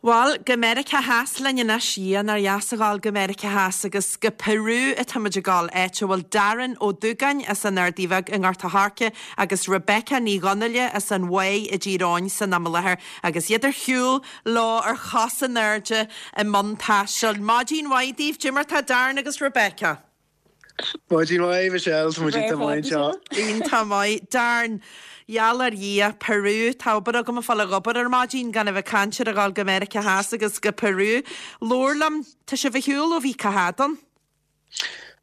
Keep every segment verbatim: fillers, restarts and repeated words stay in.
Bhuel, go Meiriceá Theas linn anois, Dhia nár dheas a ghabháil go Meiriceá Theas agus go Peru atáimid ag gabháil, áit a bhfuil Darren Ó Dúgáin as an Ardaidh Bheag i nGort a' Choirce agus Rebecca Ní Dhonnaile as an Mhaigh i dTír Eoghain san am i láthair agus iad ar shiúl leo ar chos in airde i mbun taistil. Maidin mhaith daoibh, Cad é mar tá Darren agus Rebecca. Maidin mhaith Michelle tá muid iontach maith anseo. Iontach maith. Darren, gheall ar Dhia, Peru, tá obair agam ag fáil ag obair ar maidin gan a bheith ag caint ar a ghabháil go Meiriceá Theas agus go Peru. Labhair liom, tá sibh ar shiúl ó bhí cá fhad ann?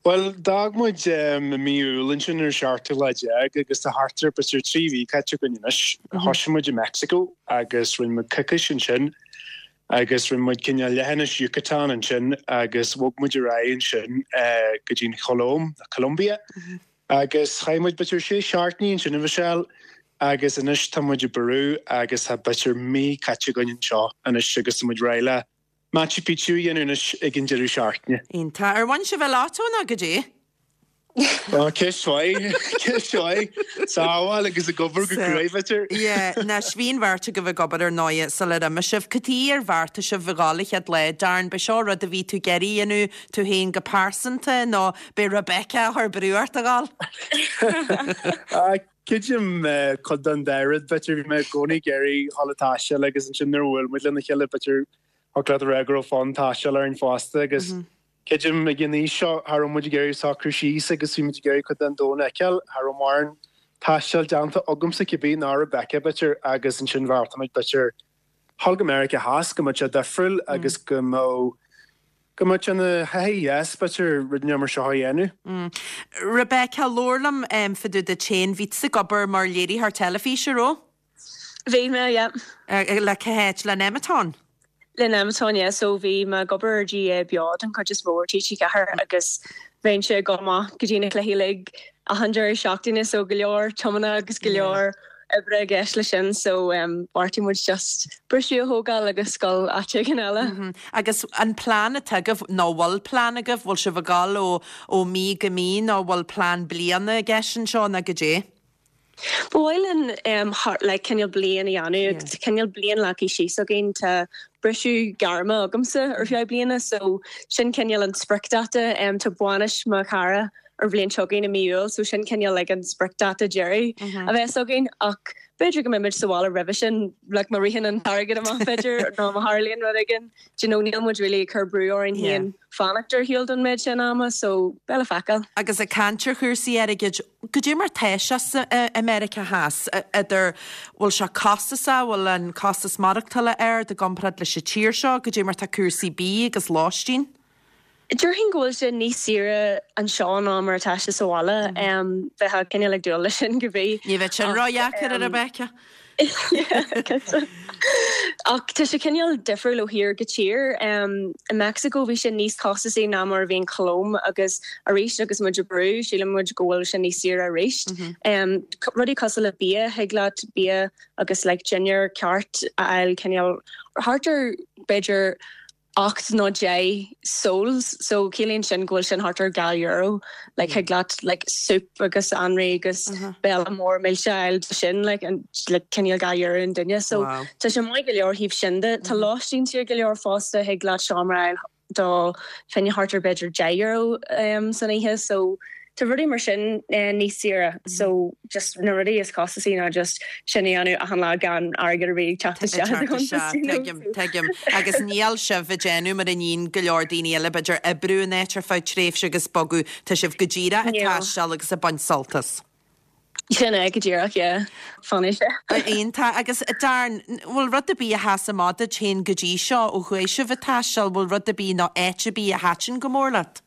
Bhuel, d'fhág muid i mí Iúil ansin ar an seachtú lá déag agus tá thart ar b'fhéidir trí mhí caite againn anois. Thosaigh muid i Mexico agus rinne muid coicís ansin agus rinne muid cineál leithinis Yucatan ansin agus bhog muid ar aghaidh ansin go dtí an Cholóim, Colombia, agus chaith muid b'fhéidir sé seachtainí ansin a Mhichelle agus anois tá muid i bPeru agus tá b'fhéidir mí caite againn anseo anois agus tá muid réidh le Machu Picchu a dhéanamh anois ag an deireadh seachtaine. Iontach. Ar bhain sibh an lotto nó goidé? Ó, ceist mhaith, ceist mhaith. Sábháil agus ag obair go cruaidh, b'fhéidir. Yeah, anois bhí an bheirt agaibh ag obair ar ndóighe sular imigh sibh. Cad chuige ar bheartaigh sibh a ghabháil an chéad lá? Darren, b'é seo rud a bhí tú ag iarraidh a dhéanamh tú féin go pearsanta nó b'é Rebecca a chuir brú ort a ghabháil? Creidim cuid den dá rud, b'fhéidir. Bhí mé i gcónaí ag iarraidh dhul ag taisteal agus ansin nuair a bhuail muid lena chéile, b'fhéidir thiocfadh leat a rá go raibh fonn taistil orainn fosta agus Creidim ag an aois seo, cha raibh muid ag iarraidh socrú síos agus bhí muid ag iarraidh cuid den domhan a fheiceáil. Cha raibh mórán taistil déanta agamsa cibé, ná Rebecca b'fhéidir, agus ansin bheartaigh muid b'fhéidir dhul go Meiriceá Theas, go mbeadh sé difriúil agus go mbeadh go mbeadh sé ina thaithí dheas b'fhéidir rud mar seo a dhéanamh. Rebecca, labhair liom fá dtaobh duit féin, bhí tusa ag obair mar léiritheoir teilifíse, raibh? Bhí mé, yeah. Le cá háit, le Nemeton? Le Nemeton, yeah. So bhí mé ag obair ar GAA Beo den chuid is mó ar T G Ceathair agus bheinnse ag dul amach go dtí na cluichí uilig achan deireadh seachtaine so go leor tiomána agus go leor oibre i gceist leis sin so bheartaigh muid just briseadh a thógáil agus dul áit éigin eile. Agus an plean atá agaibh, nó bhfuil plean agaibh, bhfuil sibh ag dul ó ó mí go mí nó bhfuil plean bliana i gceist anseo nó goidé? Ba mhaith linn like cineál bliain a dhéanamh agus cineál bliain leagtha síos againn. Tá briseadh gairme agamsa ar feadh bliana so sin cineál an spriocdháta. Tá bainis mo chara ar bhliain seo chugainn i mí Iúil so sin cineál like an spriocdháta deiridh a bheas againn ach b'fhéidir go mbeimid sa bhaile roimhe sin like má ritheann an t-airgead amach b'fhéidir nó má tharlaíonn rud éigin. Do you know níl muid really ag cur brú orainn féin fanacht ar shiúl don méid sin ama so beidh le feiceáil. Agus ag caint ar chúrsaí airgid, goidé mar tá sé sa i Meiriceá Theas, idir bhfuil sé costasach, bhfuil an costas maireachtála ard i gcomparáid leis an tír seo, goidé mar tá cúrsaí bídh agus lóistín? Déarfainn go bhfuil sé níos saoire anseo ná mar atá sé sa bhaile. Bheifeá cineál ag dúil leis sin cibé. Ní bheadh sin ródheacair a Rebecca. Ach tá sé cineál difriúil ó thír go tír. I Meicsiceo bhí sé níos costasaí ná mar a bhí an Cholóim agus arís agus muid i bPeru sílim muid go bhfuil sé níos saoire arís. Rudaí cosúil le bia, thig leat bia agus like dinnéar ceart a fháil cineál thart ar b'fhéidir ocht nó deich soles so ciallaíonn sin go bhfuil sin thart ar dhá euro like thig leat like soup agus anraith agus béile mór milse a fháil do sin like an like cineál dhá euro an duine so tá sé maith go leor thaobh sin de. Tá lóistín saor go leor fosta thig leat seomra a fháil do fá choinne thart ar b'fhéidir deich euro san oíche so Tá rudaí mar sin níos saoire so just na rudaí is costasaí ná just sin a dhéanamh achan lá gan airgead ar bith ag teacht isteach i do chuntas, you know. Tuigim, tuigim. Agus níl sibh ag déanamh mar a níonn go leor daoine eile, b'fhéidir oibriú in áit ar feadh tréimhse agus bogadh, tá sibh go díreach ag taisteal agus ag baint sult as. Sin é go díreach, yeah. Fanfaidh sé. Iontach. Agus Darren, bhfuil rud ar bith a sheas amach duit féin go dtí seo ó chuaigh sibh ag taisteal, bhfuil rud ar bith nó áit ar bith a thaitin go mór leat?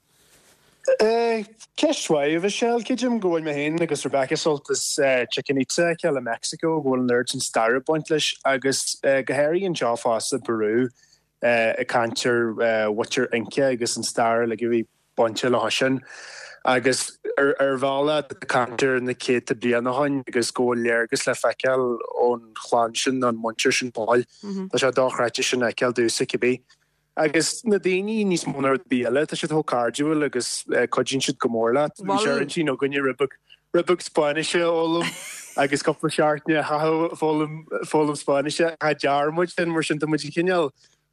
Ceist mhaith, a Mhichelle. Creidim go bhfuil mé féin agus Rebecca sult as Chichen Itza a fheiceáil i Meicsiceo, go bhfuil an oiread sin staire ag baint leis agus go háirithe anseo fosta i bPeru ag caint ar mhuintir Inca agus an stair uilig a bhí bainte leo sin. Agus ar bhealach ag caint ar na céadta bliain ó shin agus go bhfuil léargas le feiceáil ón chlann sin, ón muintir sin fóill. Tá sé dochreidte sin a fheiceáil domhsa cibé. Agus na daoine níos mó ná rud ar bith eile, tá siad chomh cairdiúil agus cuidíonn siad go mór leat. Bhí sé ar intinn againne rud beag, rud beag Spáinnise a fhoghlaim agus cúpla seachtain a chaitheamh ag foghlaim, foghlaim Spáinnise. Cha dtearn muid sin, mar sin tá muid cineál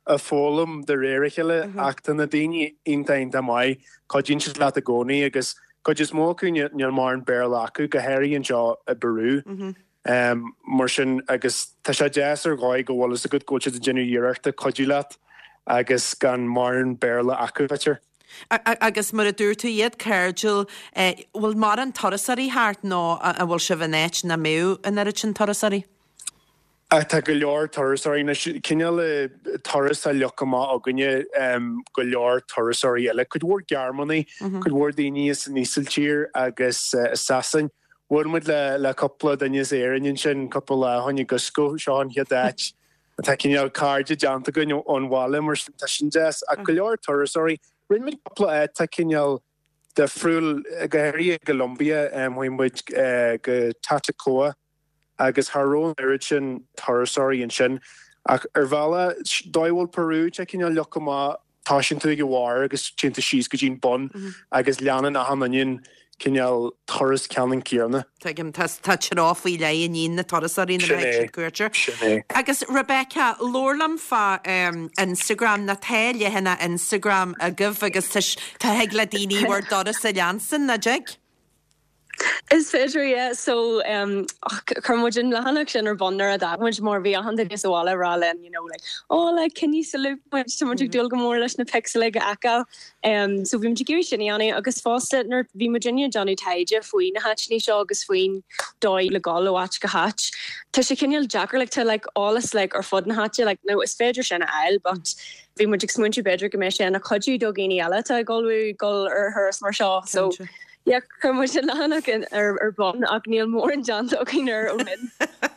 a foghlaim de réir a chéile ach tá na daoine iontach iontach maith, cuidíonn siad leat i gcónaí agus cuid is mó acu níl mórán Béarla acu, go háirithe anseo i bPeru. Mar sin agus tá sé deas ar dhóigh go bhfuil fhios agat go bhfuil siad ag déanamh iarrachta cuidiú leat agus gan mórán Béarla acu, b'fhéidir. Agus mar a dúirt tú, iad cairdiúil, bhfuil mórán turasóirí thart nó an bhfuil sibh in áit nach mbeadh an oiread sin turasóirí? Tá go leor turasóirí anois, cineál turas a fhliuch amach againne, go leor turasóirí eile, cuid mhór Gearmánaigh, cuid mhór daoine as an Ísiltír agus as Sasain. Bhuail muid le le cúpla duine as Éirinn ansin cúpla lá ó shin i gCusco, seo an chéad áit atá cineál cairde déanta againn ón bhaile mar sin tá sin deas. Ach go leor turasóirí, rinne muid cúpla áit atá cineál difriúil, go háirithe i gColombia, chuaigh muid go Tatacoa, agus cha raibh an oiread sin turasóirí ansin. Ach ar bhealach, dóigh a bhfuil Peru, tá cineál leagtha amach, toisíonn tú ag an bharr agus téann tú síos go dtí an bun agus leanann achan duine an cineál turas ceannann céanna. Tuigim, tá tá treo faoi leith i ndiaidh na turasóirí nuair a Sin théann é, siad cuairt air. sin é. Agus Rebecca, labhair liom fá Instagram, nó tá leathanach Instagram agaibh agus tá tá thig le daoine bhur dturas a leanstan, nach dtig? Is féidir yeah so um chuir muid an leathanach sin ar bun nuair a d'fhág muid mar bhí achan duine sa bhaile ag rá linn you know like oh like can you salute muid tá muid ag dúil go mór leis na pics uilig a fheiceáil. Um so bhí muid ag iarraidh sin a dhéanamh agus fosta nuair bhí muid ag déanamh taighde faoi na háiteanna seo agus faoin dóigh le dul ó áit go háit. Tá sé cineál deacair like tá like eolas like ar fud na háite like no is féidir sin a fháil but bhí muid ag smaointiú b'fhéidir go mbeidh sé ina chuidiú do dhaoine eile atá ag ullmhú dul ar thuras mar seo so yeah chuir muid an leathanach ar ar bun ach níl mórán déanta againn air ó shin.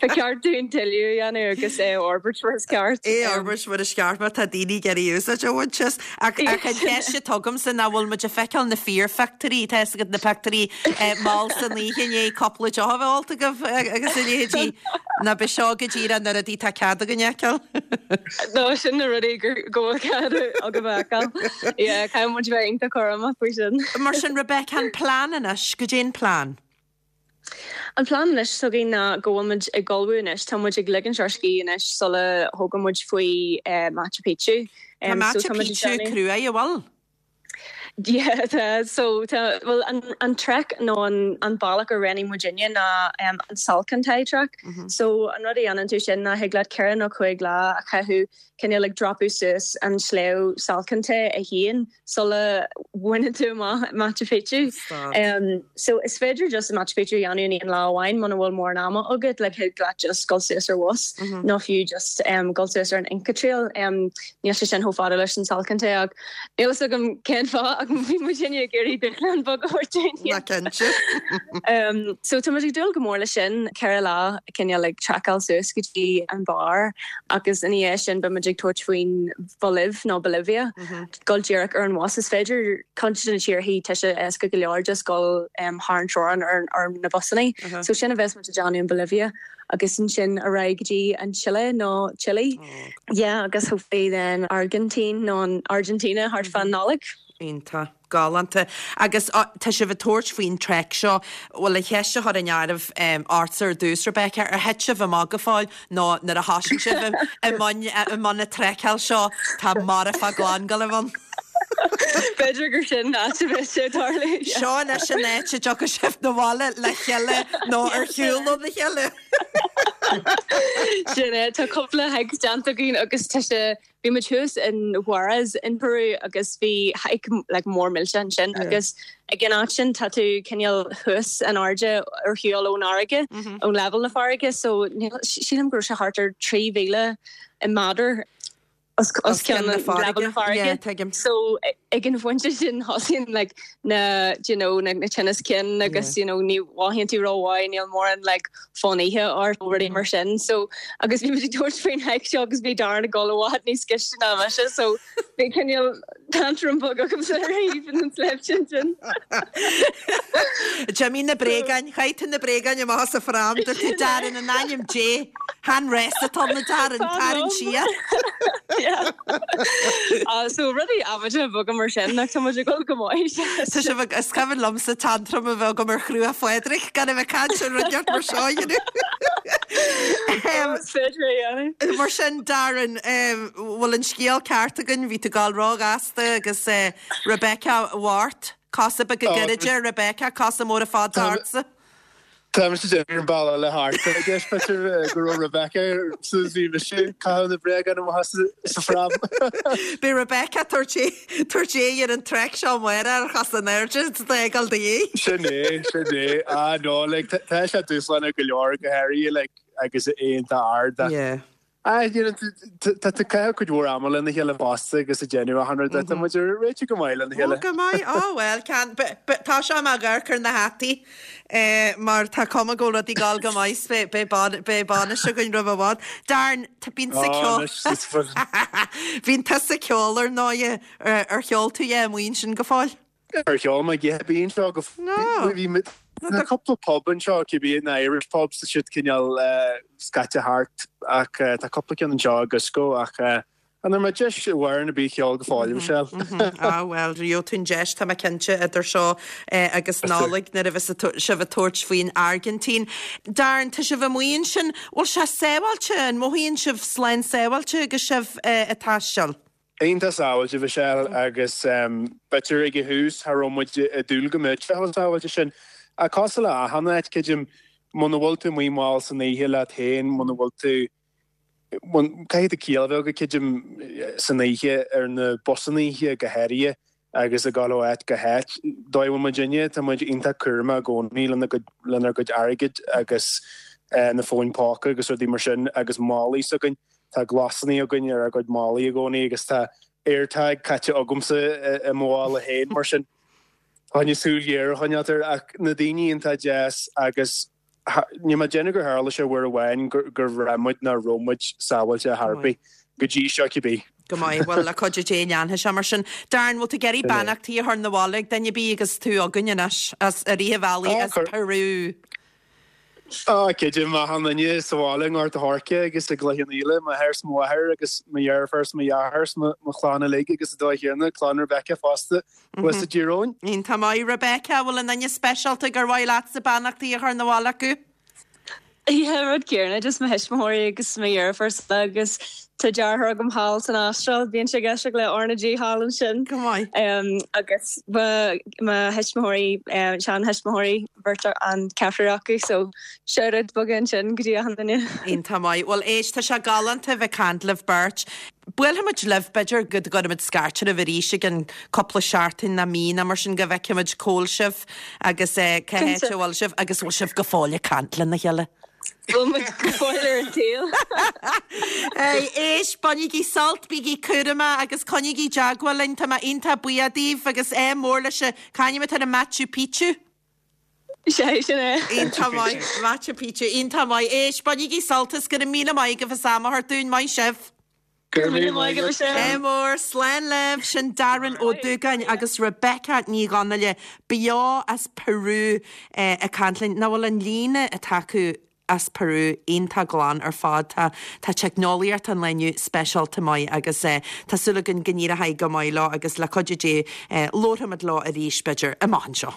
Ba cheart dúinn tuilleadh a dhéanamh agus é a fhorbairt mar is ceart. É a fhorbairt mar is ceart má tá daoine ag iarraidh úsáid a bhaint as. Ach ach an cheist atá agamsa ná bhfuil muid ag feiceáil na fíorphictiúirí, tá fhios agat na pictiúirí mall san oíche i ndiaidh cúpla deoch a bheith ólta agaibh agus a leithéidí. Nó ab é seo go díreach na rudaí tá cead againn a fheiceáil. No sin na rudaí gur go bhfuil cead agaibh a fheiceáil. Yeah, caithfidh muid bheith iontach cúramach faoi sin. Mar sin Rebecca, an plean anois, goidé an plean? An plean anois s'againn ná go bhfuil muid ag ullmhú anois, tá muid ag ligint ár scíth anois sula thógann muid faoi Machu Picchu. Tá Um, so Machu tá muid ag Picchu déanamh- cruaidh, an bhfuil? Yeah, tá so tá well an an trek nó an an bealach a roghnaigh muidinne ná um, an Salkantay trek. Mm -hmm. So an rud a dhéanann tú sin ná thig leat ceithre nó cúig lá a chaitheamh cineál ag dreapadh suas an sliabh Salkantay é féin sula bhaineann tú amach Machu Picchu. Um, so is féidir just Machu Picchu a dhéanamh in aon lá amháin muna bhfuil mórán ama agat le thig leat just dul suas ar bhus mm -hmm. nó fiú just um, dul suas ar an Inca Trail um, níl sé sin chomh fada leis an Salkantay ach níl fhios agam cén fáth ach bhí muidinne ag iarraidh dúshlán beag a thabhairt dúinn. Na cinnte. Um, so tá muid ag dúil go mór leis sin ceithre lá cineál ag treiceáil suas go dtí an barr agus ina dhiaidh sin beidh muid ag tabhairt faoin Bholaiv nó Bolivia mm -hmm. dul díreach ar an bhus is féidir cuid de na tíortha tá sé éasca go leor just dul um, thar an teorainn ar, ar na busanna. Uh -huh. So sin a bheas muid ag déanamh in Bolivia agus ansin ar aghaidh go dtí an Chile nó Chile. Oh. Yeah, agus hopefully then Argentine nó an Argentina thart fán Nollaig. Iontach galánta. Agus tá sibh ag tabhairt faoin trek seo bhfuil a cheist a chur in áireamh ortsa ar dtús Rebecca ar thit sibh amach go fóill nó nuair a thosaigh sibh i mbun i mbun na treiceáil seo tá marfach glan ann. B'fhéidir gur sin áit a bheidh sé tarlú. Seo anois an áit a dtiocfaidh sibh na bhaile le chéile nó ar shiúl óna chéile. Sin é tá cúpla hike déanta againn agus tá sé bhí muid thuas in Huaraz in Peru agus bhí hike like mór millteach ansin agus ag an áit sin tá tú cineál thuas in airde ar shiúl ón fharraige ón level na farraige so sílim go raibh sé thart ar trí mhíle i méadar os os cionn na level na farraige. tuigim. So ag an bpointe sin thosaíonn like na you know na na tinnis cinn agus you know ní mhothaíonn tú rómhaith níl mórán like fonn ithe ort rudaí mar sin so agus bhí muid ag tabhairt faoin hike seo agus bhí Darren ag dul i bhfad níos gaiste ná mise so bhí cineál tantrum beag agamsa ar thaobh an sléibh sin sin. D'imigh na bréagáin, chaith tú na bréagáin amach as an pram, dúirt tú Darren in ainm Dé, chan rás atá ann Darren, tarraing siar. Yeah. Uh, so rudaí amaideacha beaga mar sin nach tá muid ag dul go maith. Tá sibh ag- is cuimhin liomsa tantrum a bheith agam ar Chruach Phádraig gan a bheith caint ar rud mar seo you know. Is féidir é a dhéanamh. Mar sin Darren, bhfuil an scéal ceart againn, bhí tú ag gabháil róghasta agus Rebecca Wart, cosa beaga gairide Rebecca, cosa móra fada ortsa. Tá mise ag déanamh an bealach le thart i gceist b'fhéidir go raibh Rebecca suas bhí mise ag caitheamh na bréagáin amach sa pram. Beidh Rebecca tabhairt tabhairt é ar an trek seo amárach ar chos in airde tá ag dul de dhíth. Sin é, sin é. Ah no, like tá sé dúshlánach go leor go háirithe like agus é iontach ard ach Yeah. Ah, you know, tá tú ag caitheamh cuid mhór ama lena chéile fosta agus ag déanamh achan rud tá muid ar réiteach go maith lena chéile. Ó go maith ó well can tá sé mar amharc ar na hataí eh, mar tá cuma go rudaí ag gabháil go maith beidh bainis againn roimh i bhfad. Darren tá bíonn sa ceol Bíonn tusa ag ceol ar ndóigh ar cheol tú é amuigh ansin go fóill? Ar cheol mé bíonn seo go bhí na cúpla pub anseo cibé na Irish pubs tá siad cineál scaite thart ach tá cúpla ceann anseo i gCusco ach an ar mé deis bhhair na bí cheol go fóill Michelle. Ah well gheobhaidh tú an deis tá mé cinnte idir seo agus Nollaig nuair a bheas sibh ag tabhairt faoin Airgintín. Darren tá sibh amuigh ansin, bhfuil sé sábháilte an mothaíonn sibh slán sábháilte agus sibh ag taisteal? Iontach sábháilte Michelle agus b'fhéidir ag an tús cha raibh muid ag dúil go mbeadh sé chomh sábháilte sin. A cosúil le achan áit creidim muna bhfuil tú amuigh mall san oíche leat féin, muna bhfuil tú caithfidh tú ciall a bheith agat creidim san oíche ar na busanna oíche go háirithe agus ag dul ó áit go háit. Dóigh bhfuil muidinne tá muid iontach cúramach i gcónaí lena gcuid lenár gcuid airgid agus na fóin póca agus rudaí mar sin agus málaí s'againn. Tá glasanna againn ar ár gcuid málaí i gcónaí agus tá AirTag caite agamsa i mo mhála féin mar sin. Tá súil ghéar a choinneáil air ach na daoine iontach deas agus níl mé ag déanamh gur tharla sé uair amháin gur bhraith muid nach raibh muid sábháilte ar chor ar bith go dtí seo cibé. Go maith, bhuel le cuidiú Dé leanfaidh sé mar sin. Darren, bhfuil tú ag iarraidh beannachtaí a chur 'na bhaile ag duine ar bith agus tú againn anois as i rith an bhealaigh as Peru? Á, creidim achan duine sa bhaile i nGort a' Choirce agus i gCloich Cheann Fhaola, m'athair 's mo mháthair agus mo dheirfiúr 's mo dheartháir 's mo chlann uilig agus an dóigh chéanna, clann Rebecca fosta thuas i dTír Eoghain. Iontach maith, Rebecca, bhfuil aon duine speisialta gur mhaith leatsa beannachtaí a chur 'na bhaile acu? Yeah, rud céanna, just mo thuismitheoirí agus mo dheirfiúr agus tá deartháir agam thall san Astráil, bíonn sé ag éisteacht le R na G thall ansin. Go maith. Um, agus mo thuismitheoirí um, sean-thuismitheoirí beirt an ceathrar acu, so shout-out beag ansin go dtí achan duine. Iontach maith. Bhuel éist tá sé galánta bheith ag caint libh beirt. Buailfimid libh b'fhéidir go gcuirfimid scairt oraibh arís i gceann cúpla seachtain nó mí nó mar sin go bhfeicfimid cá bhfuil sibh agus eh, cá háit a bhfuil sibh agus bhfuil sibh go fóill ag caint lena chéile. Bhfuil muid go fóill ar an tsaol. Éist, bainigí sult, bígí cúramach agus coinnígí i dteagmháil linn tá mé iontach buíoch daoibh agus é mór leis c'ainm atá ar Machu Picchu. Sé sin é. Iontach maith Machu Picchu, iontach maith éist, bainigí sult is go raibh míle maith agaibh as am a thabhairt dúinn maith sibh. Gur mí maith go sé. É mór slán libh sin Darren Ó Dúgáin agus Rebecca Ní Dhonnaile beo as Peru eh, ag caint linn nach bhfuil an líne atá acu as Peru iontach glan ar fad tá tá teicneolaíocht an lae inniu speisialta maith agus eh, tá súil againn go n-éireoidh go maith leo agus le cuidiú Dé eh, labharfaimid leo arís b'fhéidir amach anseo.